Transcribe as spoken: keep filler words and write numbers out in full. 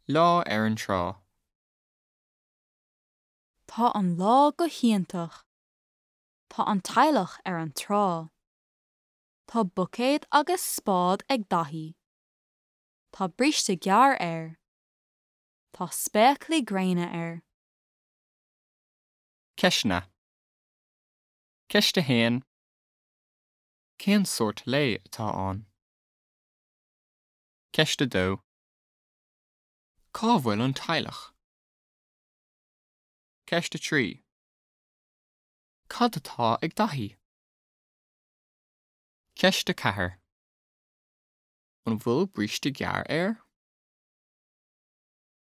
Lá ar an trá. Tá an lá go hiontach. Tá an teaghlach ar an trá. Tá buicéad agus spád ag Daithí. Tá bríste gearr air. Tá spéaclaí gréine air. Ceisteanna. Ceist a haon. Cén sórt lae atá ann? Ceist a dó. Cá bhfuil an teaghlach? Ceist a trí. Cad atá ag Daithí? Ceist a ceathair. An bhfuil bríste gearr air?